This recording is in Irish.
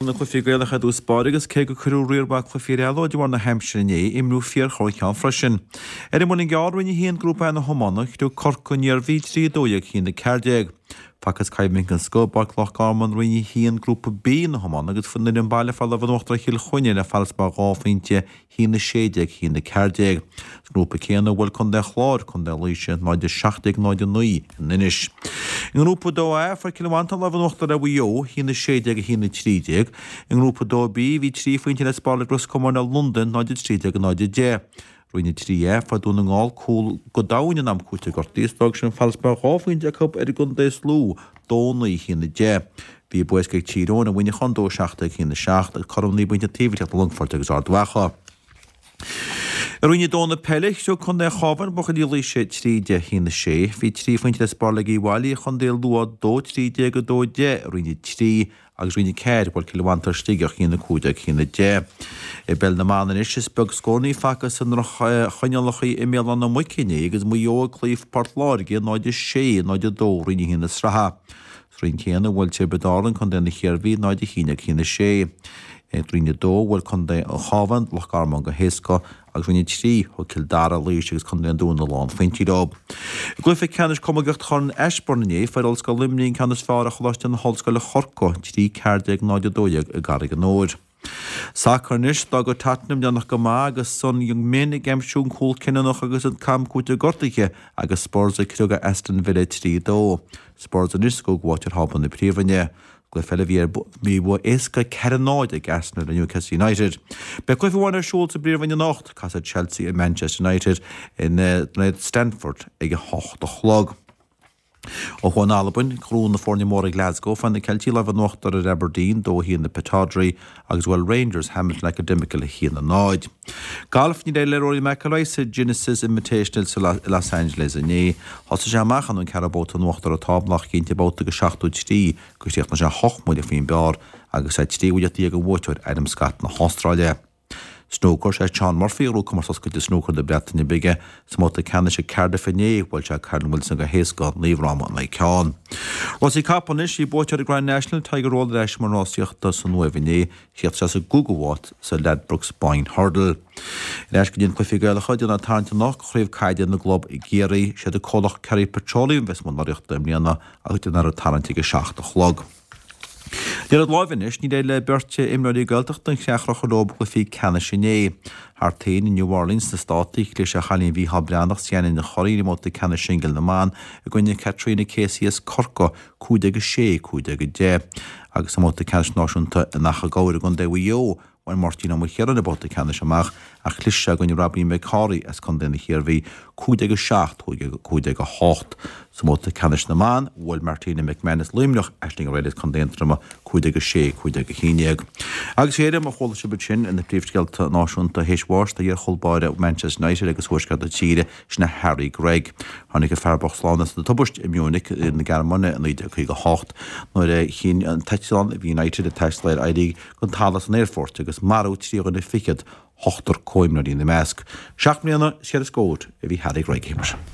Na cluichí Gaelacha i dtús báire agus cé gur cuireadh riar mhaith cluichí ar ceal de bharr na haimsire inné, imríodh fíorchorrcheann freisin. Ar an Muileann gCearr, Roinn 1, Grúpa A na hiomána, chriog Corcaigh an Iarmhí 3 12 1 14. Facthas coimhlint den scoth i bPáirc Loch Garman, Roinn 1, Grúpa B na hiomána agus an fhoireann baile fuair lámh in uachtar ar Chill Chainnigh le farasbarr 2 phointe 1 16 1 14. Sa ngrúpa céanna, bhuail Contae an Chláir, Contae Laoise 0 17 0 9 in Inis. I ngrúpa 2A, fuair Cill Mhantáin lámh in uachtar ar Mhaigh Eo, 1 16 1 13. I ngrúpa 2B, bhí 3 phointe le spáráil ag Ros Comáin ar Londain, 0 13 0 10. Roinn 3A, fuair Dún na nGall cúl go domhain in am cúitimh gortaithe is d'fhág sin farasbarr 2 phointe acu ar an gcontae is lú, 2 9 1 10. Bhí bua éasca ag Tír Eoghain ar Mhuineachán, 2 17 1 7, agus cothrom 9 bpointe an taobh ag teacht do Longfort agus Ard Mhacha. I Roinn 2 na peile, chriog Contae an Chabháin buachaillí Laoise 3 10 1 6. Bhí 3 phointe le spáráil ag Uíbh Fhailí ar Chontae Lú 2 13 2 10 i Roinn 3 agus Roinn 4, bhuail Cill Mhantáin Sligeach 1 15 1 10. I bpeil na mban anois, is beag scóranna a facthas i ndroch-choinníollacha i mBéal Átha na Muice inné agus Maigh Eo ag cloí Port Láirge 0 6 0 2 Roinn 1 na sraithe. Sa roinn céanna, bhuail Tiobraid Árann Contae na hIarmhí 0 1 1 6. I Roinn 2, bhuail Contae an Chabháin Loch Garman go héasca agus Roinn 3, thug Cill Dara, Laois agus Contae an Dúin a lán phointí leo. I gcluiche ceannais camógaíochta Chorn Ashbourne inné, fuair Ollscoil Luimnigh an ceann is fearr ar Choláiste na hOllscoile Chorcaigh, 3 14 0 12 i gCarraig an Óir. Sacar anois, d'fhága Tottenham déanach go maith agus Son Heung-min ag aimsiú an cúl cinniúnach agus an t-am cúitimh gortaithe agus Spurs ag criogadh Aston Villa 3 2. Spurs anois sa gcúigiú háit ar thábla na Príomhroinne. Cluiche eile bhí ar bhí bua éasca 4 0 ag Arsenal ar Newcastle United. Beidh cluiche amháin ar siúl sa bPríomhroinn anocht, casfaidh Chelsea ar Manchester United in Stamford ag a hocht a chlog. Ó thuaidh in Albain, gnó na foirne móra i Glasgow, fuair na Ceiltigh lámh in uachtar ar Aberdeen, 2 1 i Pittodrie, agus bhuail Rangers Hamilton Academical 1 0. Galf, Níor éirigh le Rory McIlroy sa Genesis Invitational i Los Angeles inné. Thosaigh sé amach an ceathrú babhta in uachtar ar an tábla ach cinnte babhta go 73 gur chríochnaigh sé 8 mbuille faoin bpar agus é 13 bhuille ón bhuaiteoir Adam Scott na hAstráile. Snúcar, Sé Shaun Murphy a ghnóthaigh Comórtas Oscailte Snúcair na Breataine Bige sa mbabhta ceannais i Cardiff inné. Bhuail sé Kyren Wilson go héasca, 9 fhráma in aghaidh ceann. Rásaí capall anois, bhí buaiteoir Grand National, Tiger Roll ar ais i mbun rásaíochta san Uaimh inné. Chríochnaigh sé sa gcúigiú háit sa Ladbrokes Boyne Hurdle. Ar ais go dtí na cluichí Gaelacha, déanfar tarraingt anocht do chraobh caide na gclub i gCiarraí. Siad an comhlacht Kerry Petroleum a bheas i mbun urraíochta i mbliana agus déanfar an tarraingt ag a 7 a chlog. Liathróid láimhe anois, níor éirigh le beirt imreoirí Gaeltachta an chreach a chur leo i gcluichí ceannais inné. Thart féin i New Orleans sna Státaí, chlis ar chailín Mhícheál Breathnach, Sian Ní Churraoin i mbabhta ceannais singil na mban i gcoinne Caitríona Casey as Corcaigh, 15-6, 15-10. Agus i mbabhta ceannais náisiúnta in Achadh Gabhair i gContae Mhaigh Eo, Bhain Máirtín Ó Maoilchiaráin an babhta ceannais amach ach chlis sé i gcoinne Robbie McCorry as Contae na hIarmhí, 15-7, 15-8. Sa mbabhta ceannais na mban, bhuail Martina McMahon as Luimneach, Aisling O'Reilly as Contae Aontroma, 15-6, 15-11. Agus a chairde, mar a chuala sibh ansin ar na príomhscéalta náisiúnta, théis bháis do iar-chúl báire Manchester United agus Thuaisceart na tíre, sin é Harry Gregg. Tháinig an fear bocht slán as an tubaist i Munich na Gearmáine i 1958 nuair a chinn an t-eitleán a bhí United ag taisteal air éirí den talamh san aerfort agus maraíodh 3 dhuine fichead, ochtar comhimreoirí ina measc. Seacht mbliana is cheithre scór a bhí Harry Gregg.